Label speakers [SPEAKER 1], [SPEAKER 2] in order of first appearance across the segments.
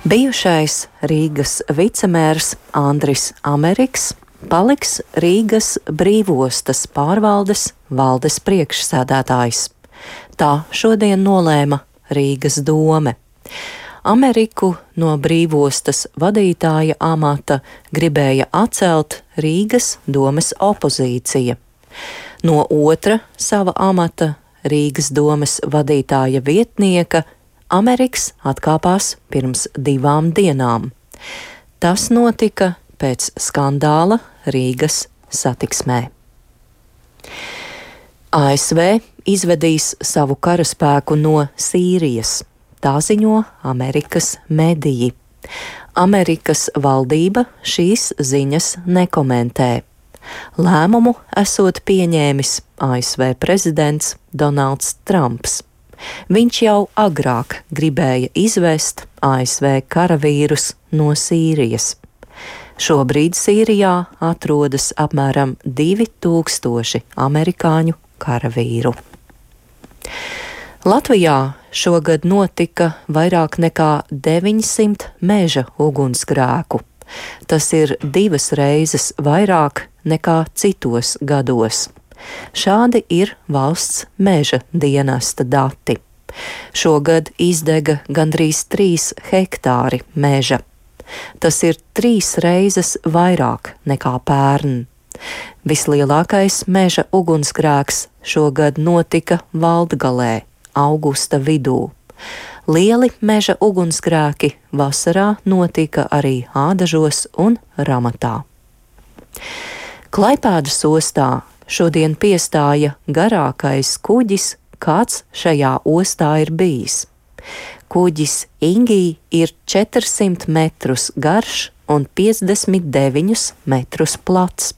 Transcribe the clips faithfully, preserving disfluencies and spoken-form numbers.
[SPEAKER 1] Bijušais Rīgas vicemērs Andris Ameriks paliks Rīgas brīvostas pārvaldes valdes priekšsēdētājs. Tā šodien nolēma Rīgas dome. Ameriku no brīvostas vadītāja amata gribēja atcelt Rīgas domes opozīcija. No otra sava amata, Rīgas domes vadītāja vietnieka, Ameriks atkāpās pirms divām dienām. Tas notika pēc skandāla Rīgas satiksmē. A S V izvedīs savu karaspēku no Sīrijas, tā ziņo Amerikas mediji. Amerikas valdība šīs ziņas nekomentē. Lēmumu esot pieņēmis A S V prezidents Donalds Trumps. Viņš jau agrāk gribēja izvest A S V karavīrus no Sīrijas. Šobrīd Sīrijā atrodas apmēram divi tūkstoši amerikāņu karavīru. Latvijā šogad notika vairāk nekā deviņsimt meža ugunsgrēku. Tas ir divas reizes vairāk nekā citos gados. Šādi ir valsts meža dienesta dati. Šogad izdega gandrīz trīs hektāri meža. Tas ir trīs reizes vairāk nekā pērn. Vislielākais meža ugunsgrēks šogad notika Valdgalē, augusta vidū. Lieli meža ugunsgrēki vasarā notika arī Ādažos un Ramatā. Klaipēdas ostā šodien piestāja garākais kuģis, kāds šajā ostā ir bijis. Kuģis Ingī ir četrsimt metrus garš un piecdesmit deviņus metrus plats.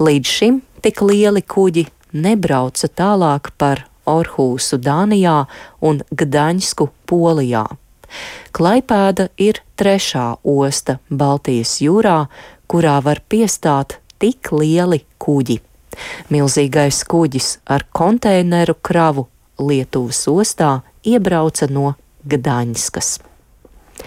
[SPEAKER 1] Līdz šim tik lieli kuģi nebrauca tālāk par Orhūsu Dānijā un Gdaņsku Polijā. Klaipēda ir trešā osta Baltijas jūrā, kurā var piestāt tik lieli kuģi. Milzīgais kuģis ar konteineru kravu Lietuvas ostā iebrauca no Gdaņskas.